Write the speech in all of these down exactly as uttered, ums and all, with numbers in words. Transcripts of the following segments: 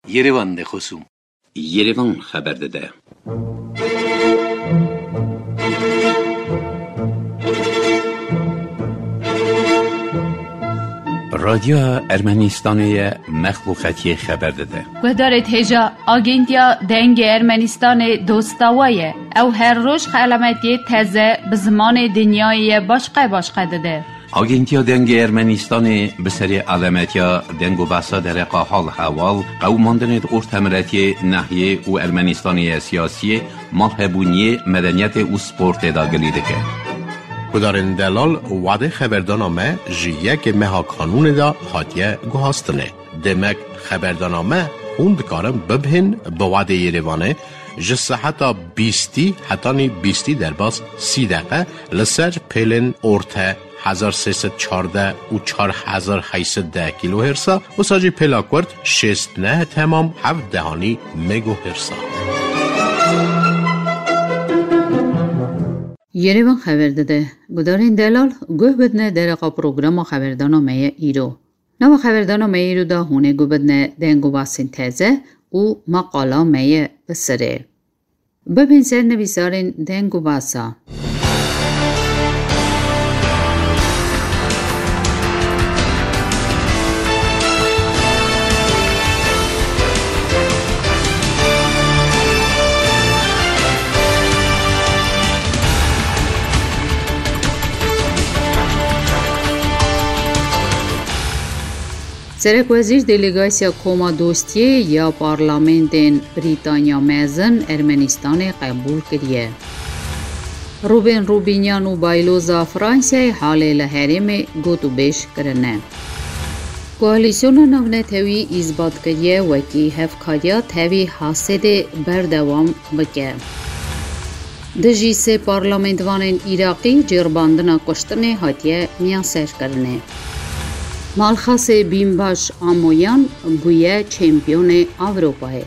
Yerevan de xosûm. Yerevan xeber dide. Radyoya Ermenistanê ye, mexluqetiyê xeber dide. Guhdarêt hêja, Agentiya Dengê Ermenistanê dosta we ye. Ew her roj xelametiyê teze bi zimanê dinyayê ye başqe başqe dide. Agentiya Dengê Ermenistanê bi serê alemetiya deng û behsa dereqa hal hewal, qewimandinê di ortemiletiyê, nehiyê û Ermenistanê ye siyasiyê, malhebûniyê, medeniyetê û sportê de gilî dike. Gudarên delal, wadê xeberdana me ji yekê meha kanûnê de hatiye guhastinê. Demek xeberdana me hûn dikarin bibhên bi wadê Yerevanê ji seheta bîstî hetanî bîstî derbas sî deqe li ser pêlên orte hezar sê sed çardeh û çar hezar heyt sed deh kîlohêrsa, wisa jî pêla kurt şêst neh temam heft dehanî megohêrsa. Yerevan xeber dide. Gudarên delal, guh bidine dereqa programa xeberdana me ye îro. Nava xeberdana me îro de hûn ê guh bidine deng û basên teze û maqala me ye bi sirê. Bibên ser nivîsarên deng û basa. Serekwezîr delegasya Koma Dostiyê ya parlamentên Brîtanya Mezin Ermenistanê qebûl kiriye. Rûbên Rûbînyan û Bayloza Fransayê halê li herêmê gotûbêj kirine. Koalîsyona navnetewî îsbat kiriye wekî hevkariya tevî Hasedê berdewam bike. Dijî sê parlamentvanên Iraqî cêribandina kuştinê hatiye miyanserkirinê. Malxasê Bînbaş Amoyan bûye çempiyonê Ewropayê.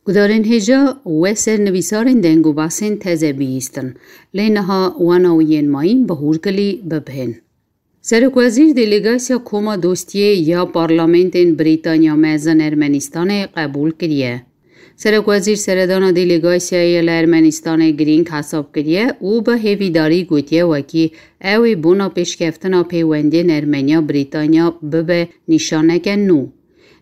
Gudarên hêja we ser nivîsarên deng û basên teze bihîstin. Lê niha wana û yên mayîn bi hûrkilî bibhên. Serokwezîr delegasya Koma Dostiyê ya parlamentên Brîtanya Mezin Ermenistanê qebûl kiriye. Serokwezîr seredana delegasyayê li Ermenistanê girîng hesab kiriye û bi hêvîdarî gotiye wekî ew ê bona pêşkeftina pêwendiyên Ermenya-Brîtanya bibe nîşaneke nû.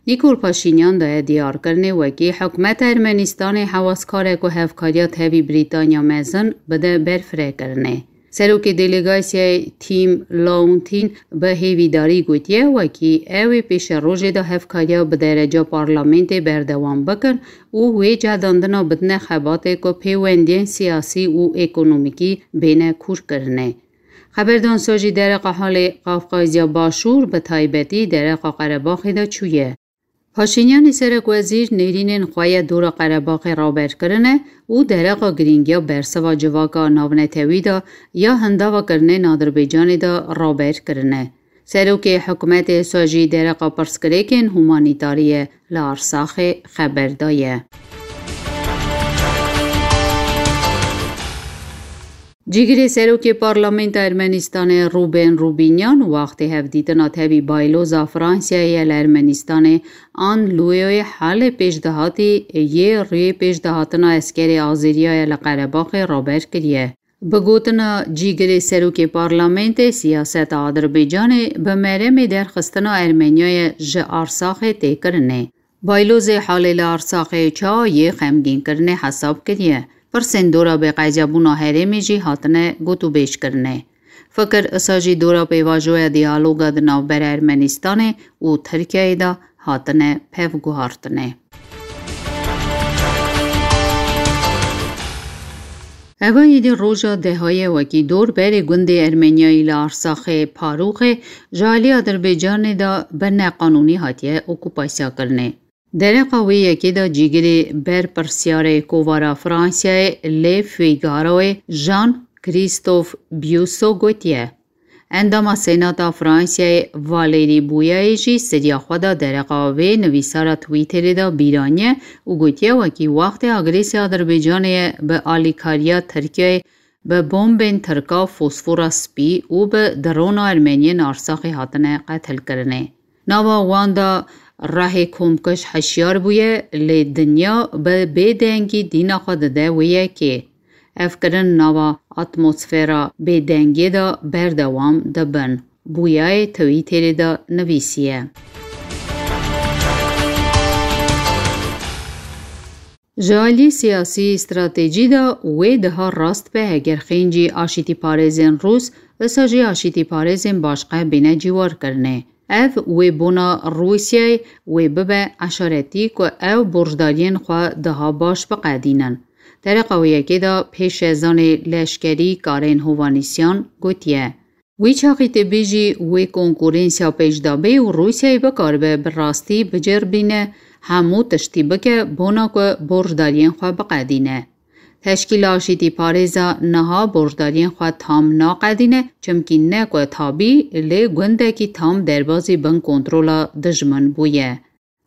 Nîkol Paşînyan daye diyarkirinê wekî hikûmeta Ermenistanê hewaskar e ku hevkariya tevî Brîtanya Mezin bide berfirekirinê. Serokê delegasyayê Tim Launtin bi hêvîdarî gotiye, wekî ew ê pêşerojê de hevkariya bi dereca parlamentê berdewam bikin û wê cedandina bidine xebatê ku pêwendiyên siyasî û ekonomîkî bêne kûrkirinê. Xeberdansa jî dereqa halê Qafqazya Başûr, bi taybetî dereqa Qerebaxê de çûye. Paşînyanê serekwezîr nêrînên xwe ya dora Qerebaxê raber kirine û dereqa girîngiya bersiva civaka navnetewî de ya hindava kirinê Adirbaycanê de raber kirine. Serokê hikûmetê sa jî dereqa pirsgirêkên humanîtarî ye li Arsaxê xeber daye. Cîgirê serokê Parlamenta Ermenistanê Rûben Rûbînyan wextê hevdîtina tevî Bayloza Fransayê ye li Ermenistanê An Luyoyê halê pêşdihatî yê rûyê pêşdihatina eskerê Azeriya ye li Qerebaxê raber kiriye. Bi gotina cîgirê serokê Parlamentê, siyaseta Adirbaycanê bi meremê derxistina Ermeniyayê ji Arsaxê tê kirinê. Baylozê halê li Arsaxê ça yê xemgînkirinê hesab kiriye. Pirsên dora bêqeydebûna herêmê jî hatine gotûbêjkirinê. Fikir isa jî dora pêvajoya diyaloga di navbera Ermenistanê û Tirkiyeyê de hatine pevguhartinê. Eva êdî roja dehayê wekî dor berê gundê Ermeniyayî li Arsaxê Parûxê ji alî Adirbaycanê de bi neqanûnî hatiye okupasyakirinê. Dereqa wê yekê de cîgirê berpirsyarê Kovara Fransayê Le Figaroyê Jean Christophe Biuso gotiye. Endama Senata Fransayê Valérie Bouyayê jî seriya xwe de dereqa vê nivîsara Twitterê de bîraniye û gotiye wekî wextê agresîya Adirbaycanê ye bi alîkariya Tirkiyeyê bi bombên tirka fosfora spî û bi drona ermeniyên Arsaxê hatine qetilkirinê. Nava wan de rehê komkuj hişyar bûye, lê dinya bi bêdengî dîna xwe dide wê yekê. Ev kirin nava atmosfera bêdengiyê de berdewam dibin, Bûyayê Twitterê de nivîsiye. Ji alî siyasî stratejî de wê diha rast be heger xêncî aşîtîparêzên Rûs, wisa jî aşîtîparêzên başqe bîne cîwarkirinê. Ev wê bona Rûsyayê wê bibe eşaretî ku ew borcdariyên xwe daha baş biqedînin. Dereqa wê yekê de pêşezanê leşkerî Karên Hovanîsyan gotiye, Wî çaxî tê bêjî wê konkurensiya pêş de bê û Rûsyayê bikaribe bi rastî bicêrbîne, hemû tiştî bike bona ku borcdariyên xwe biqedîne. Teşkîla Aşîtîparêza niha borcdariyên xwe tam naqedîne, çimkî ne ku tabî, lê gundekî tam derbazî bin kontrola dijmin bûye.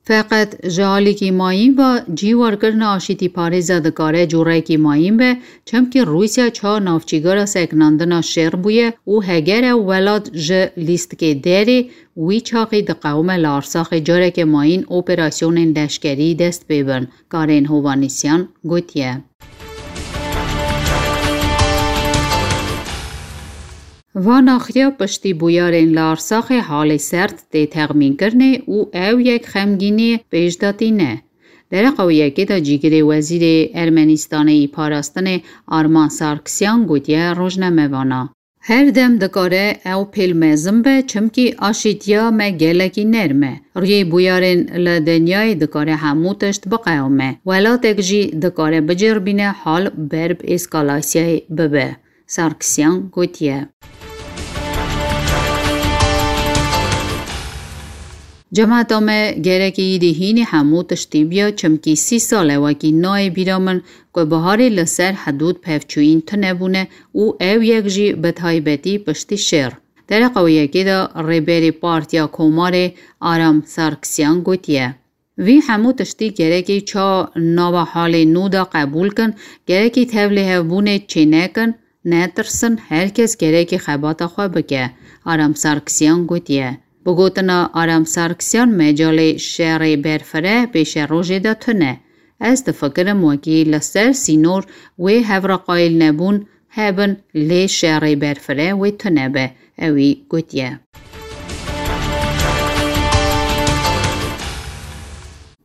Feqet ji alîkî mayîn ve cîwarkirina aşîtîparêza dikare cûrekî mayîn be, çimkî Rûsya çawa navçîgara sekinandina şer bûye û heger ew welat ji lîstikê derê, wî çaxî diqewime li Arsaxê careke mayîn operasyonên leşkerî dest pê bin, Karên Hovanîsyan gotiye. Van axiya piştî bûyarên li Arsaxê halê serd tê texmînkirinê û ew yek xemgîniyê pêş de tîne. Dereqa wê yekê de cîgirê wezîrê Ermenistanê yî parastinê Arman Sarkisyan gotiye rojnamevana, Her dem dikare ew pêl mezin be, çimkî aşîtiya me gelekî nerm e. Rûyê bûyarên li dinyayê dikare hemû tişt biqewime. Welatek jî dikare bicêrbîne hal ber bi eskalasyayê bibe. Sarkisyan gotiye. Cemata me gerekî îdî hînî hemû tiştî biya, çimkî sî sal e wekî nayê bîra min ku biharê li ser hidûd pevçûyîn tune bûne û ew yek jî bi taybetî piştî şer. Dereqa wê yekê de rêberê Partiya Komarê Aram Sarkisyan gotiye, Vî hemû tiştî gerekî çawa nava halê nû de qebûl kin, gerekî tevlihevbûnê çênekin, netirsin, her kes gerekî xebata xwe bike, Aram Sarkisyan gotiye. Bi gotina Aram Sarkisyan, mecalê şerê berfireh pêşerojê de tune. Ez difikirim wekî li ser sînor wê hevreqayîlnebûn hebin, lê şerê berfireh wê tune be, ewî gotiye.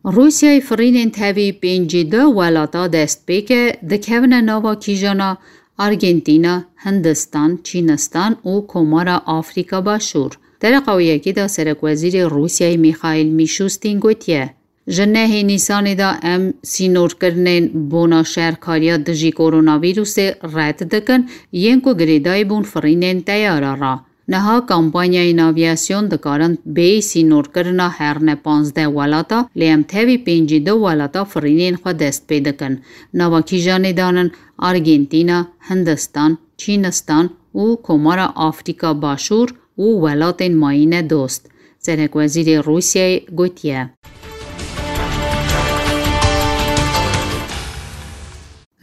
Rûsyayê firînên tevî pêncî du welata dest pê ke dikevine nava kîjana Argentîna, Hindistan, Çînistan û Komara Afrîka Başûr. Dereqa wê yekê de serekwezîrê Rûsyayê Mîxaîl Mîşûstîn gotiye, Ji nehê Nîsanê de em sînorkirinên bona şerkariya dijî koronavîrusê red dikin, yên ku girêdayî bûn firînên teyara re. Niha kampanyayên avîasyon dikarin bêyî sînorkirina herne panzdeh welata, lê em tevî pêncî du welata firînên xwe dest pê dikin. Nava kîjanê danin Argentîna, Hindistan, Çînistan û Komara Afrîka Başûr û welatên mayîne dost. Serekwezîrê Rûsyayê gotiye.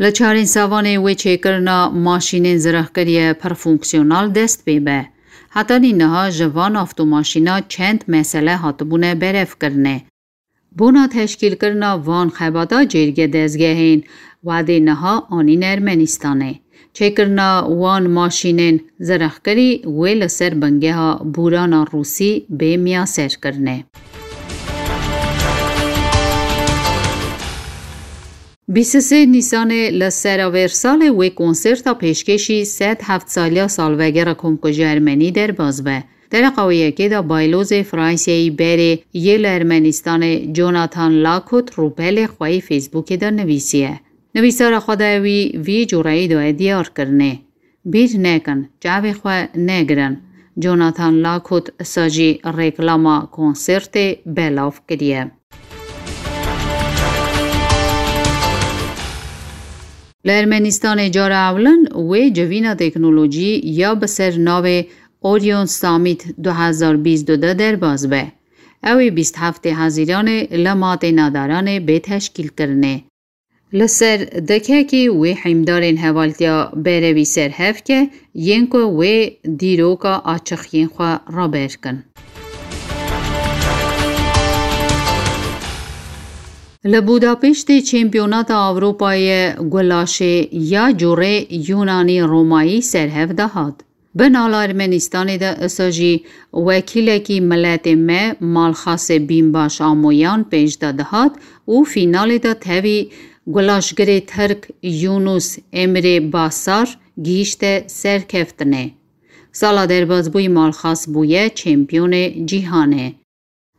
Li Çarên Savanê wê çêkirina maşînên zirehkirî ye pir fonksiyonal dest pê be. Hetanî niha ji van avtomaşîna çend mesele hatibûne berevkirinê. Bona teşkîlkirina van xebata cêrge dezgehên wedê niha anîne Ermenistanê. Çêkirina wan maşînên zirexkirî wê li ser bingeha bûrana Rûsî bê miyaserkirinê. Bîst û sê Nîsanê li ser a vêr salê wê konserta pêşkêşî sed heft saliya salvegera Komkujiya Ermenî derbas be. Dereqa wê yekê de baylozê Fransiyeyî berê yê li Ermenistanê Jonathan Lakot rûpelê xwe yê Facebookê de nivîsiye. Nivîsara xwe de wî vî cûreyî daye diyarkirinê, Bîr nekin, çavê xwe negirin. Jonathan Lakot sa jî reklama konsertê belav kiriye. Li Ermenistanê cara ewlin wê civîna teknolojî ya bi ser navê Orion Summit du hezar bîst û du derbas be. Ew ê bîst heftê Hezîranê li Matê Nadaranê bê teşkîlkirinê. Li ser dekekê wê hîmdarên hevaltiya berevî serhev ke yên ku wê dîroka açiqiyên xwe raber kin. Li Budapêştê Çempiyonata Ewropayê gulaşê ya cûrê Yûnanî Romayî serhev dihat. Bi nala Ermenistanê de isa jî wekîlekî miletê me Malxasê Bînbaş Amoyan pêş de dihat û fînalê de tevî gulaşgirê Tirk Yunus Emre Basar gihîşte serkeftinê. Sala derbasbûyî Malxas bûye çempiyonê cîhanê.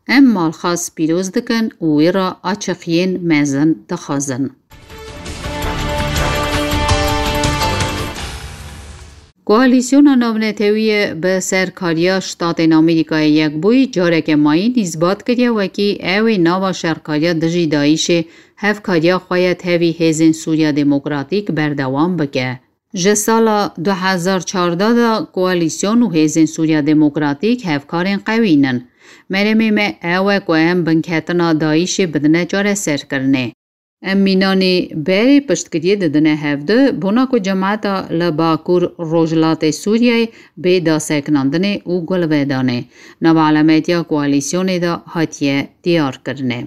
Em Malxas pîroz dikin û wî re açiqiyên mezin dixwazin. Koalîsyona Navnetewî ye bi serkariya Ştatên Amerîkayê Yekbûyî careke mayîn îsbat kiriye wekî ew ê nava şerkariya dijî DAIŞê hevkariya xwe ye tevî Hêzên Sûriya Demokratîk berdewam bike. Ji sala du hezar çardeh de koalîsyon û Hêzên Sûriya Demokratîk hevkarên qewî nin. Meremê me ew e ku em binketina DAIŞê bidine çareserkirinê. Em mînanî berê piştgiriyê didine hevdu, bona ku cemeta li Bakur Rojhilatê Sûriyeyê bê daseknandinê û gulvedanê. Nava elametiya koalîsyonê de hatiye diyarkirinê.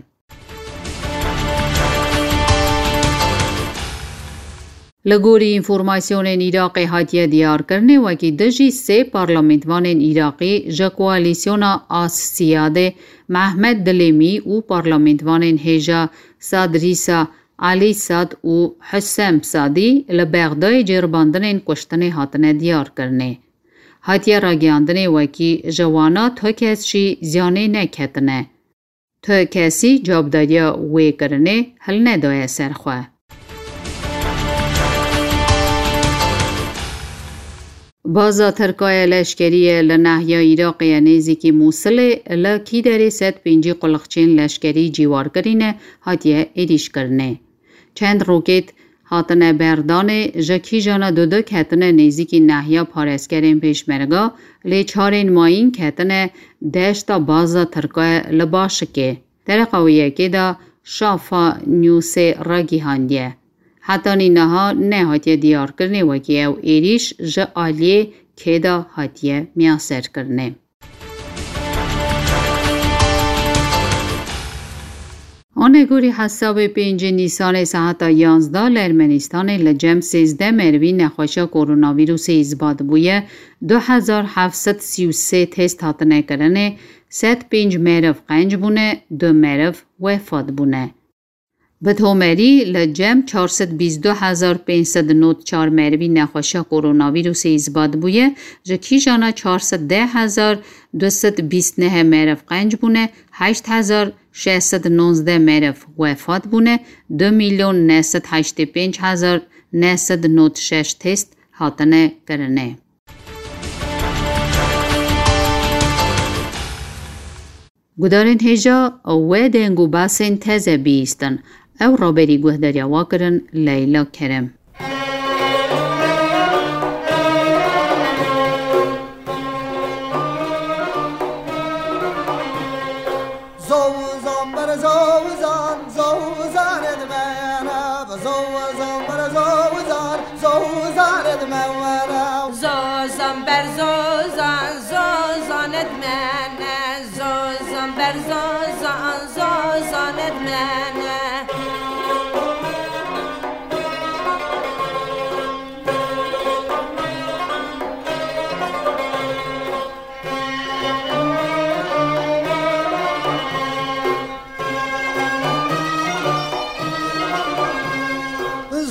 Li gorî înformasyonên Iraqê hatiye diyarkirinê, wekî dijî sê parlamentvanên Iraqî ji koalîsyona As-Siyadê Mehmed Dilêmî û parlamentvanên hêja Sadrîsa Elî Sad û Husem Sadî li Bexdayê ceribandinên kuştinê hatine diyarkirinê. Hatiye ragihandinê wekî ji wana tu kes jî ziyanê neketine. Tu kesî cavdariya wê kirinê hilnedaye ser xwe. Baza Tirka ye leşkerî ye li nahiya Iraqê ye nêzîkî Mûsilê li Kîderê sed pêncî quliqçên leşkerî cîwarkirî ne hatiye êrîşkirinê. Çend rokêt hatine berdanê, ji kîjana dudu ketine nêzîkî nahiya parêzkerên Pêşmerga, lê çarên mayîn ketine deşta baza Tirka li Başikê. Dereqa wê yekê de Şafa Newsê ragihandiye. Hetanî niha nehatiye diyarkirinê wekî ew êrîş ji aliyê kê de hatiye miyaserkirinê. Anegorî hesabê pêncê Nîsanê saeta yanzdeh li Ermenistanê li cem sêzdeh merivî nexweşa koronavîrusê îsbat bûye, du hezar heft sed sî û sê test hatine kirinê, sed pênc meriv qenc bûne, du meriv wefat bûne. Bi tomerî li cem çar sed bîst du hezar pênc sed nod çar merivî nexweşa koronavîrusê îsbat bûye, ji kîjana çar sed deh hezar du sed bîst neh meriv qenc bûne, heşt hezar şeş sed nonzdeh meriv wefat bûne, du milyon neh sed heştê pênc hezar neh sed nod şeş test hatine kirinê. Gudarên hêja we deng û basên teze bihîstin. Ew raberî guhdariya we kirin Leyla Kerem. Zozan ber zozan, zozan edmene, zozan ber zozan, zozan edmene. Zozan ber zozan, zozan edmene, zozan ber zozan, zozan edmene.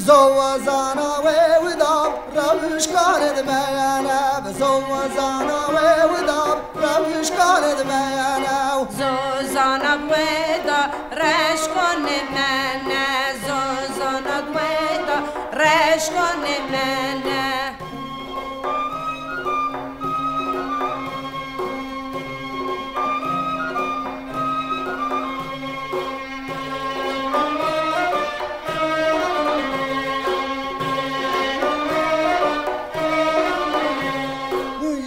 Zozana wê wida rewşkanê dimeyene, zozana wê wida rewşkanê dimeyene. Zozana wê da reşkonê mene, zozana wê da reşkonê mene.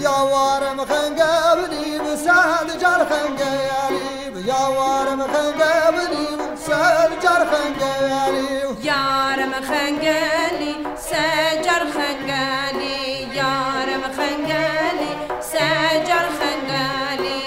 Yawarim xenge binî, bi sed car xenge elî. Yawarim xenge binî, bi sed car xenge elî. Ya Xengelî, yarim xengelî, secar xengelî.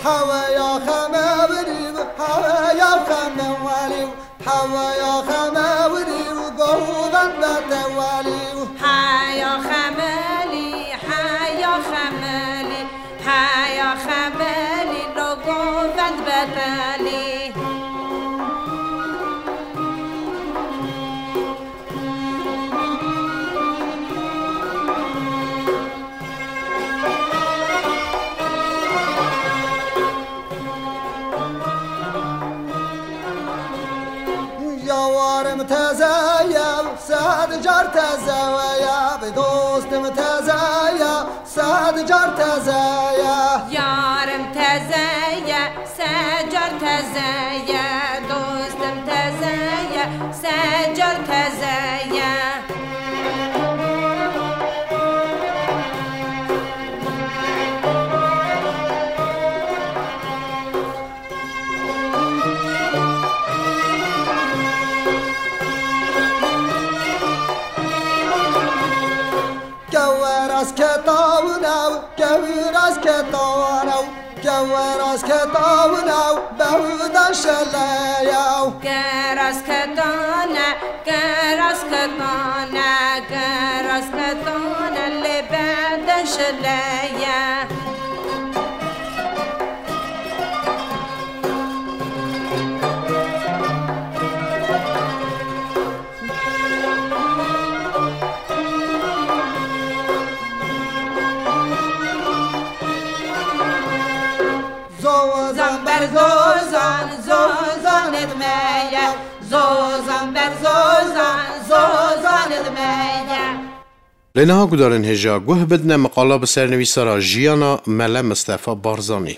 Heweya xeme wirî, heweya xeme welî, heweya xeme wirî, govend bete welî. Heya xemelî, heya xemelî, heya xemelî, lo govend betelî. Yawarim teze ye, sed car teze ye, dostim teze ye, sed car teze ye. Yarim teze ye, secar teze ye, dostim teze ye, secar teze ye. Keweras ketawin ew, kewiras ketawin ew, keweras ketawin ew, bewdan şeleyew. Keras ketane, keras ketane, keras ketane, lê beden şeleye. Zozan ber zozan, zozan ed me ye. Zozan ber zozan, zozan ed me ye. Lê niha gudarên hêja guh bidine miqala bi sernivîsara jiyana Mele Mistefa Barzanî.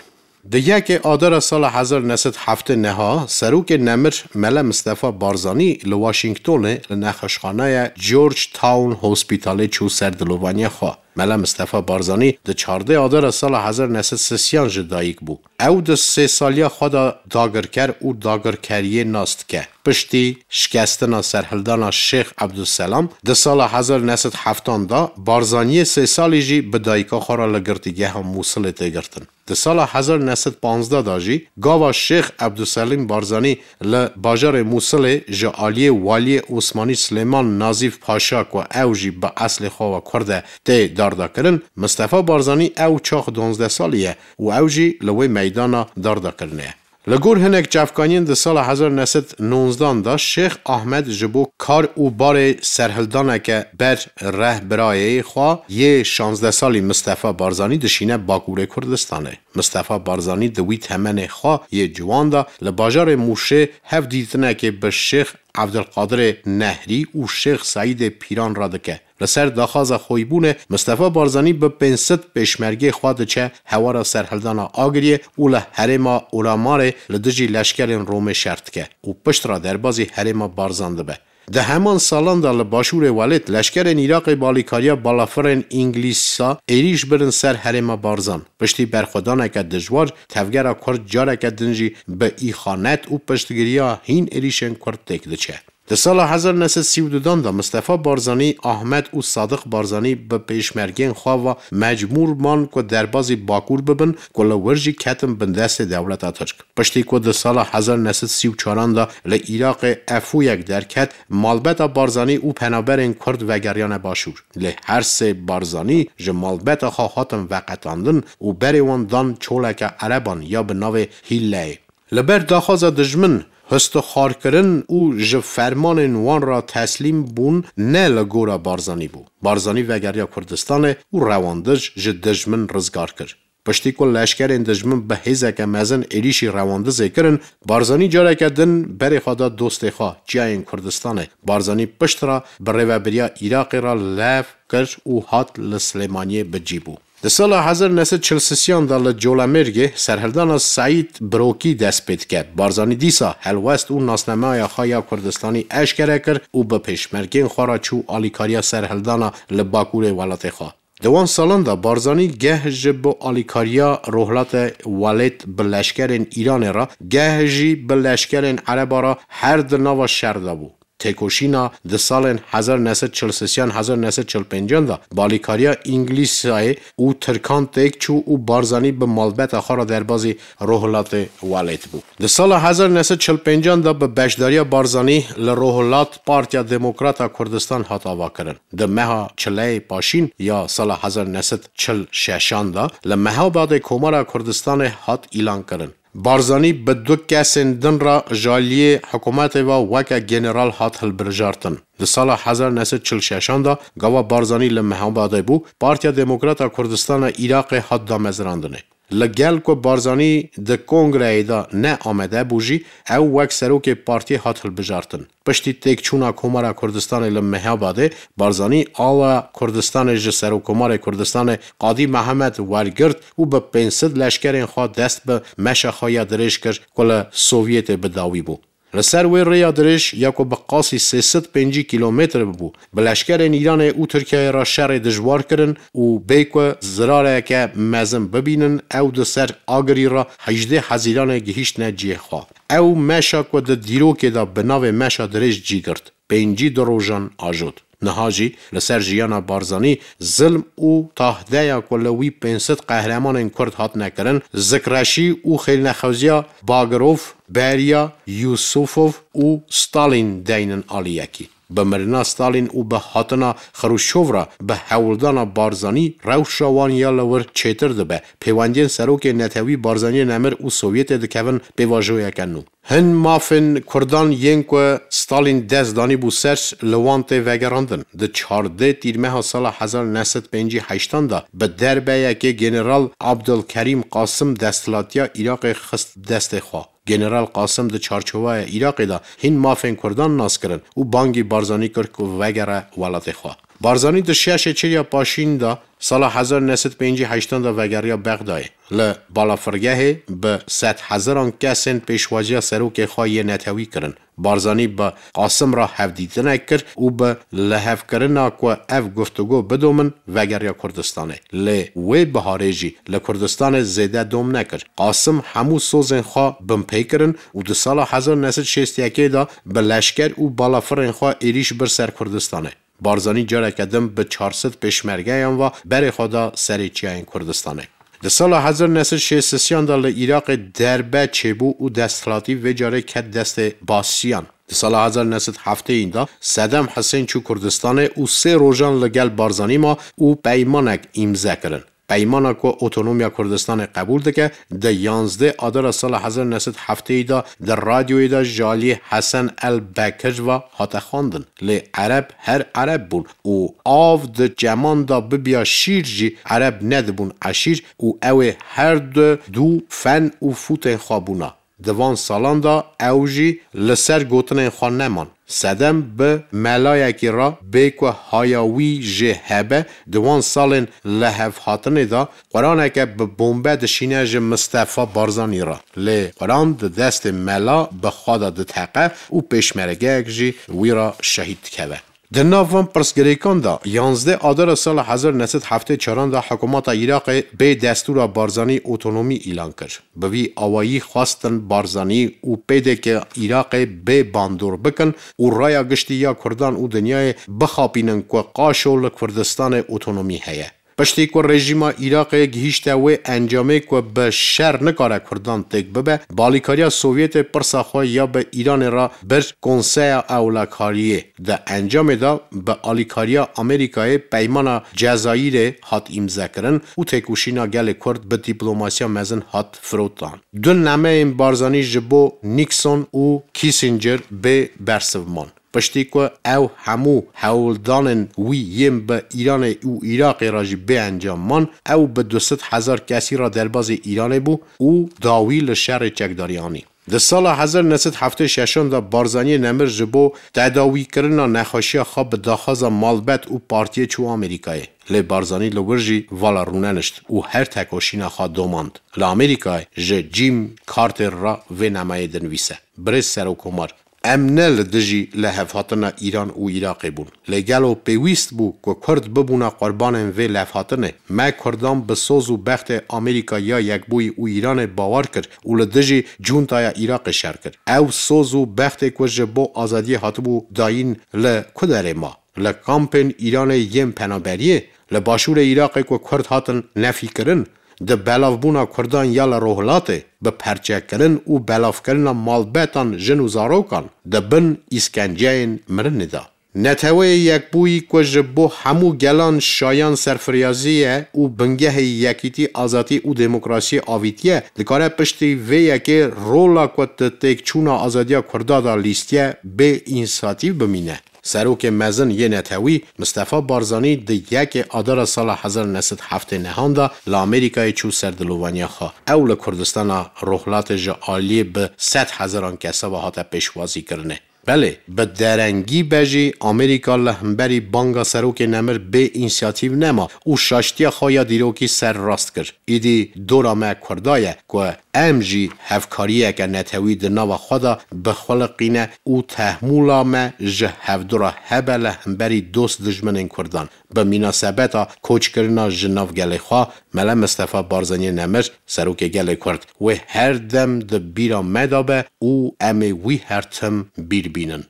Di yekê Adara sala hezar neh sed heftê neha serokê nemir Mele Mistefa Barzanî li Washingtonê li nexweşxaneya Georgetown Hospitalê çû ser dilovaniya xwe. Mele Mistefa Barzanî di çardeh Adara sala hezar neh sed sisiyan ji dayik bû. Ew di sê saliya xwe de dagirker û dagirkeriyê nas dike. Piştî şikestina serhildana Şêx Ebdulselam di sala hezar neh sed heftan de, Barzaniyê sê salî jî bi dayika xwe re li girtîgeha Mûsilê tê girtin. Di sala hezar neh sed panzdeh de jî gava Şêx Ebdulselim Barzanî li bajarê Mûsilê ji aliyê waliyê Osmanî Silêman Nazîf Paşa, ku ew jî bi eslê xwe ve kurd e, tê dardakirin. Mistefa Barzanî ew çax duwazdeh salî ye û ew jî li wê meydana dardakirinê ye. Li gor hinek çavkaniyên di sala hezar neh sed nonzdan de Şêx Ahmed ji bo kar û barê serhildaneke ber rehbirayê xwe yê şazdeh salî Mistefa Barzanî dişîne Bakurê Kurdistanê. Mistefa Barzanî di wî temenê xwe yê ciwan de li bajarê Mûşê hevdîtinekê bi Şêx Evdilqadirê Nehrî û Şêx Seîdê Pîran re dike. Li ser daxwaza xwîbûnê Mistefa Barzanî bi pênc sed pêşmergê xwe diçe hewara serhildana Agiriyê û li herêma Ulamarê li dijî leşkerên Romê şer dike û pişt re derbazî herêma Barzan dibe. Di heman salan de li başûrê welêt leşkerên Iraqê bi alîkariya balafirên Îngilîsa êrîş birin ser herêma Barzan. Piştî berxwedaneke dijwar, tevgera Kurd careke din jî bi îxanet û piştgiriya hîn êrîşên Kurd têk diçe. Di sala hezar neh sed sî û dudan de Mistefa Barzanî, Ahmed û Sadiq Barzanî bi pêşmergên xwe ve mecbûr man ku derbazî Bakur bibin, ku li wir jî ketin bin destê dewleta Tirk. Piştî ku di sala hezar neh sed sî û çaran de li Iraqê efûyek derket, malbeta Barzanî û penaberên Kurd vegeriyane Başûr. Lê her sê Barzanî ji malbeta xwe hatin veqetandin û berê wan dan çoleke Ereban ya bi navê Hîlleyê. Li ber daxwaza dijmin, histixwarkirin û ji fermanên wan re teslîm bûn ne li gora Barzanî bû. Barzanî vegeriya Kurdistanê û rewandij ji dijmin rizgar kir. Piştî ku leşkerên dijmin bi hêzeke mezin êrîşî rewandizê kirin, Barzanî careke din berê xwe da dostê xwe, Çiyayên Kurdistanê. Barzanî pişt re bi rêvebiriya Iraqê re lev kir û hat li Silêmaniyê bi cî bû. Di sala hezar neh sed çil sisiyan de li Colemêrgê serhildana Seîd Birokî dest pê dike. Barzanî dîsa helwest û nasnameya xwe ya Kurdistanî eşkere kir û bi pêşmergên xwe re çû alîkariya serhildana li bakurê welatê xwe. Di wan salan de Barzanî geh ji bo alîkariya Rohilate Welêt bi leşkerên Îranê re, geh jî bi leşkerên Ereba re her di nava şer de bû. Têkoşîna di salên hezar neh sed çil sisiyan hezar neh sed çil pêncan de bi alîkariya Îngilîzayê û Tirkan têk çû û Barzanî bi malbeta xwe re derbazî Rohilatê Welêt bû. Di sala hezar neh sed çil pêncan de bi beşdariya Barzanî li Rohilat Partiya Demokrata Kurdistan hat avakirin. Di meha çileyê paşîn ya sala hezar neh sed çil şeşan de li Mehabadê Komara Kurdistanê hat îlan kirin. Barzanî bi du kesên din re ji aliyê hikûmetê ve weke general hat hilbijartin. Di sala hezar neh sed çil şeşan de gava Barzanî li Mehabadê bû, Partiya Demokrata Kurdistanê Iraqê hat damezrandinê. Li gel ku Barzanî di kongreyê de ne amade bû jî, ew wek serokê partiyê hat hilbijartin. Piştî têkçûna Komara Kurdistanê li Mehabadê, Barzanî awa Kurdistanê ji Serokkomarê Kurdistanê Qadî Mehemed wergirt û bi pênc sed leşkerên xwe dest bi meşa xwe ya dirêj kir ku li Sovyetê bi dawî bû. Li ser wê rêya dirêj ya ku bi qasî sê sed pêncî kîlometre bû, bi leşkerên Îranê û Tirkiyeyê re şerê dijwar kirin û bê ku zirareke mezin bibînin, ew di ser Agirî re hejdê Hezîranê gihîştine cihê xwe. Ew meşa ku di dîrokê de bi navê meşa dirêj cî girt, pêncî du rojan ajot. Niha jî li ser jiyana Barzanî zilm û tahdeya ku li wî pênc sed qehremanên Kurd hatine kirin, zikreşî û xêlnexweziya Bagirov, Beriya, Yusufov û Stalin deynin aliyekî. Bi mirina Stalin û bi hatina Xruşov re bi hewldana Barzanî rewşa wan ya li wir çêtir dibe. Pêwendiyên serokê netewî Barzaniyê nemir û Sovyetê dikevin pêvajoyeke nû. Hin mafên Kurdan yên ku Stalin dest danîbû ser li wan tê vegerandin. Di çardeh tîrmeha sala hezar neh sed pêncî heştan de bi derbeyekê General Abdulkerîm Qasim desthilatiya Iraqê xist destê xwe. General Qasim di çarçoveya Iraqê de hîn mafên Kurdan nas kirin û bangî Barzanî kir ku vegere welatê xwe. Barzanî di şeşê çilya paşîn de sala hezar neh sed pêncî heştan de vegeriya Bexdayê. Li balafirgehê bi sedhezaran kesên pêşwaziya serokê xwe yê netewî kirin. Barzanî bi Qasim re hevdîtinek kir û bi lihevkirina ku ev guftûgo bidomin, vegeriya Kurdistanê. Lê wê biharê jî li Kurdistanê zêde dom nekir. Qasim hemû sozên xwe binpê kirin û di sala hezar neh sed şêst yekê de bi leşker û balafirên xwe êrîş bir ser Kurdistanê. Barzanî careke din bi çar sed pêşmergeyan ve berê xwe da serê çiyayên Kurdistanê. Di sala hezar neh sed şêst sisiyan de li Iraqê derbe çêbû û desthilatî vê carê ket destê Basiyan. Di sala hezar neh sed heftêyî de Sedem Hisên çû Kurdistanê û sê rojan li gel Barzanî ma û peymanek îmze kirin. Peymana ku otonomiya Kurdistanê qebûl dike, di yanzdeh Adara sala hezar neh sed heftêyî de di radyoyê de ji aliyê Hesen El Bekir ve hate xwendin. Lê Ereb her Ereb bûn û av di çeman de bibiya şîr jî Ereb nedibûn eşîr û ew ê her du dû fen û fûtên xwe bûna. Di van salan de ew jî li ser gotinên xwe neman. Sedem bi melayekî re bê ku haya wî jê hebe, di wan salên lihevhatinê de Quraneke bi bombe dişîne ji Mistefa Barzanî re. Lê Quran di destê mela bi xwe de diteqe û pêşmergeyek jî wî re şehîd dikeve. Di nav van pirsgirêkan de, yanzdeh Adara sala hezar neh sed heftê çaran de hikûmeta Iraqê bê destûra Barzanî otonomî îlan kir. Bi vî awayî xwestin Barzanî û P D K Iraqê bê bandor bikin û raya giştî ya Kurdan û dinyayê bixapînin ku qaşo li Kurdistanê otonomî heye. Piştî ku rejîma Iraqê gihîşte wê encamê ku bi şer nikare Kurdan têk bibe, bi alîkariya Sovyetê pirsa xwe ya bi Îranê re bir Konseya Ewlekariyê. Di encamê de bi alîkariya Amerîkayê Peymana Cezayîrê hat îmzekirin û têkoşîna gelê Kurd bi dîplomasiya mezin hat firotan. Du nameyên Barzanî ji bo Nixon û Kissinger bê bersiv man. Piştî ku ew hemû hewldanên wî yên bi Îranê û Iraqê re jî bê encam man, ew bi du sed hezar kesî re derbazî Îranê bû û dawî li şerê çekdarî anî. Di sala hezar neh sed heftê şeşan de Barzaniyê Nemir ji bo tedawîkirina nexweşiya xwe bi daxwaza malbet û partiyê çû Amerîkayê. Lê Barzanî li wir jî vala rûnenişt û her tekoşîna xwe domand. Li Amerîkayê ji Jim Carter re vê nameyê dinivîse: Birêz Serokkomar, em ne li dijî lihevhatina Îran û Iraqê bûn. Lê gelo pêwîst bû ku Kurd bibûna qurbanên vê levhatinê? Me Kurdan bi soz û bextê Amerîka ya Yekbûyî û Îranê bawer kir û li dijî cuntaya Iraqê şer kir. Ew soz û bextê ku ji bo azadiyê hatibû dayîn li ku derê ma? Li kampên Îranê yên penaberiyê? Li başûrê Iraqê ku Kurd hatin nefîkirin? Di belavbûna Kurdan ya li Rojhilatê, bi perçekirin û belavkirina malbetan, jin û zarokan, di bin îskenceyên mirinê de. Neteweyê Yekbûyî ku ji bo hemû gelan şayan serfiryazî ye û bingehê yekîtî, azadî û demokrasiyê avîtiye, dikare piştî vê yekê rola ku di têkçûna azadiya Kurda de lîstiye bê însiyatîv bimîne. Serokê mezin yê netewî Mistefa Barzanî di yekê Adara sala hezar neh sed heftê nehan de li Amerîkayê çû ser dilovaniya xwe. Ew li Kurdistana Rojhilatê ji aliyê bi sed hezaran kesa ve hate pêşwazîkirinê. Belê, bi derengî be jî Amerîka li hemberî banga Serokê Nemir bê însiyatîv nema û şaştiya xwe ya dîrokî serrast kir. Îdî dora me Kurda ye ku em jî hevkariyeke netewî di nava xwe de bixuliqîne û tehmûla me ji hevdu re hebe li hemberî dost dijminên Kurdan. Bi mînasebeta koçkirina ji nav gelê xwe, Mele Mistefa Barzaniyê Nemir, Serokê Gelê Kurd, wê her dem di bîra me de be û em ê wî her tim bîr bînin.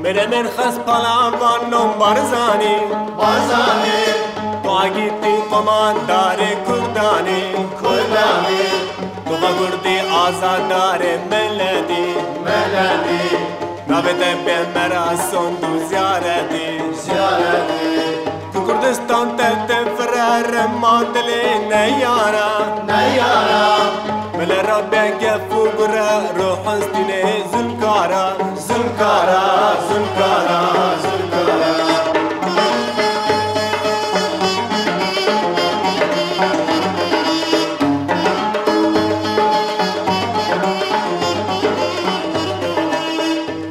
Mire min xas palavan nom Barzanî. Barzanî. Tu agîtî qomandarê Kurdanî. Kurdanî. Tu va Kurdî azadarê miletî. Miletî. Navê te pê me ra sond û ziyaretî. Ziyaretî. Ku Kurdistan te te firere ma dilê neyara. Neyara. Mele ra be gef û gure, ruh hestîne Zulkara. Zulkara, Zulkara, Zulkara.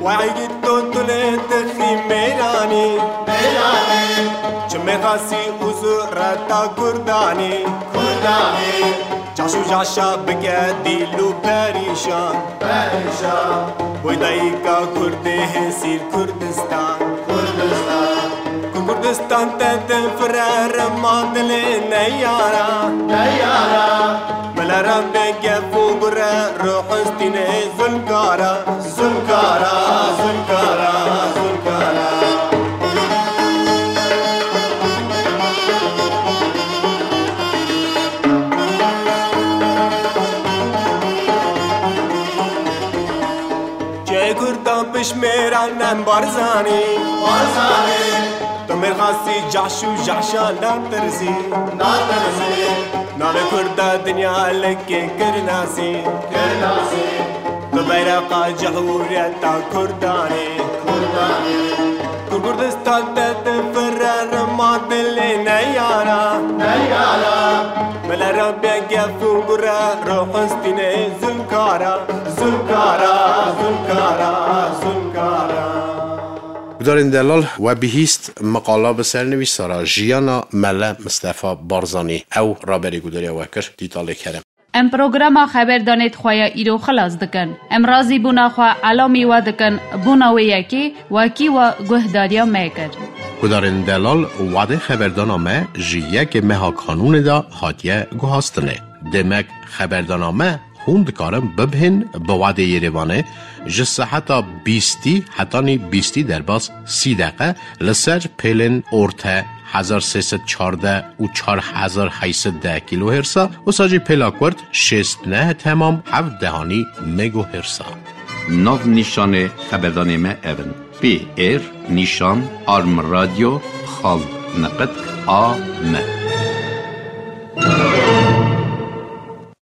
Wahî tu tulê dixî mêranî. Mêranî. Çimê xasî û zureta Kurdanî. Kurdanî. Caş û caşa bike dîl û perîşan. Perîşan. Boy dayika Kurdê hêsîr Kurdistan. Kurdistan. Ku Kurdistan te din firere ma dilê neyara. Neyara. Mele ra be gef û gure, ruh hestîne Zulkara. Zulkara, Zulkara, Zulkara. Çê Kurdan pişmêran em Barzanî. Barzanî. Tu mêrxasî caş û caşa natirsî. Natirsî. Navê Kurda dinya lekê kir nasî. Kir nasî. Tu beyreqa cihûriyeta Kurdanî. Kurdanî. Ku Kurdistan te difire rima dilê neyara. Neyara. Mele ra be gef û gure, ruh hestîne Zulkara. Zulkara, Zulkara, Zulkara. Gudarên delal, we bihîst meqala bi sernivîsara Jiyana Mele Mistefa Barzanî. Ew raberî gudariya we kir, dîtalê kerem. Em programa xeberdanê xwe ya îro xilas dikin. Em razîbûna xwe elamî we dikin, bûna wê yekê wekî we guhdariya me kir. Gudarên delal, wadê xeberdana me ji yekê meha Kanûnê de hatiye guhastinê. Demek xeberdana me hûn dikarin bibihên bi wadê Yerêvanê ji seheta bîstî hetanî bîstî derbas sî deqe li ser pêlên orte hezar sê sed çardeh û çar hezar heyt sed deh kilohertz a, wisa jî pêla kurt şêst neh temam heft dehanî megahertz a. Nav nîşanê xeberdanê me ev in. P R nîşan arm radio xal neqet a m.